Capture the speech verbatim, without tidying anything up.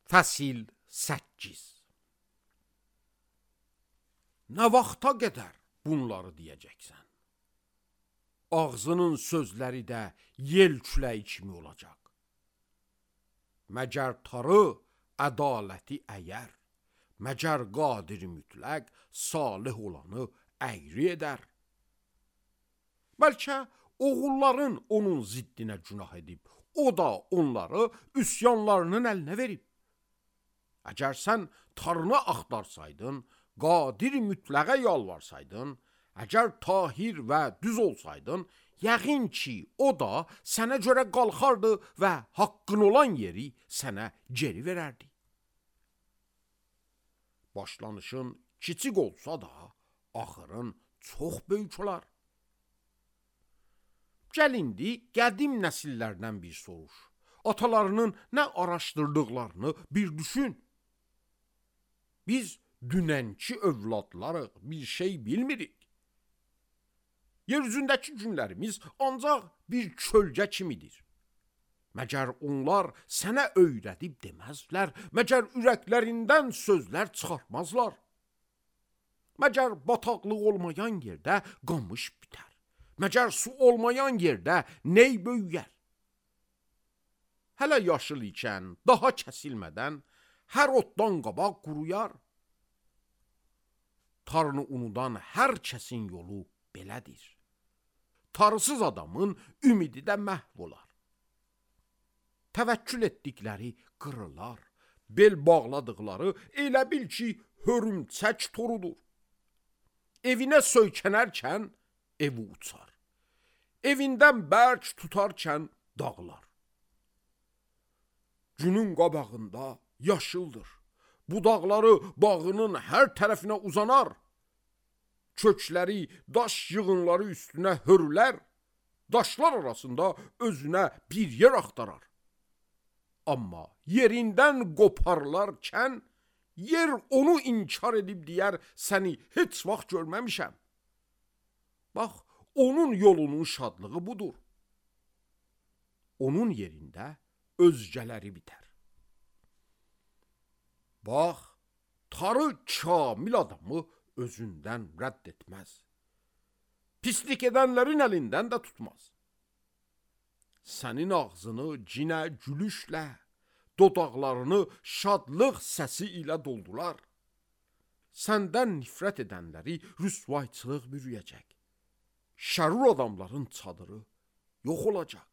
Fəsil səkkiz. Nə vaxta qədər bunları deyəcəksən? Ağzının sözləri də yel küləyi kimi olacaq. Məgər tarı ədaləti əyər, məgər qadir mütləq salih olanı əyri edər. Bəlkə oğulların onun ziddinə günah edib, o da onları üsyanlarının əlinə verib. Əgər sən tarını axtarsaydın, qadir mütləqə yalvarsaydın, əgər tahir və düz olsaydın, yəqin ki, o da sənə görə qalxardı və haqqın olan yeri sənə geri verərdi. Başlanışın kiçik olsa da, axırın çox böyük olar. Gəl indi qədim nəsillərdən bir soruş. Atalarının nə araşdırdıqlarını bir düşün. Biz dünənki övladlarıq, bir şey bilmirik. Yer üzündəki günlərimiz ancaq bir kölgə kimidir. Məgər onlar sənə öyrədib deməzlər, məgər ürəklərindən sözlər çıxartmazlar. Məgər bataqlıq olmayan yerdə qamış bitər, məgər su olmayan yerdə ney böyüyər. Hələ yaşıl ikən, daha kəsilmədən, hər otdan qabaq quruyar. Tarını unudan hər kəsin yolu belədir. Tarısız adamın ümidi də məhv olar. Təvəkkül etdikləri qırılar, bel bağladıqları elə bil ki, hörümçək torudur. Evinə söykənərkən evi uçar. Evindən bərk tutarkən dağlar. Günün qabağında yaşıldır. Budaqları bağının hər tərəfinə uzanar. Kökləri, daş yığınları üstünə hörülər. Daşlar arasında özünə bir yer axtarar. Amma yerindən qoparlarkən, yer onu inkar edib deyər, səni heç vaxt görməmişəm. Bax, onun yolunun şadlığı budur. Onun yerində özgələri bitər. Bax, tarı kamil adamı özündən rədd etməz. Pislik edənlərin əlindən də tutmaz. Sənin ağzını cinə gülüşlə, dodaqlarını şadlıq səsi ilə doldular. Səndən nifrət edənləri rüsvayçılıq bürüyəcək. Şərur adamların çadırı yox olacaq.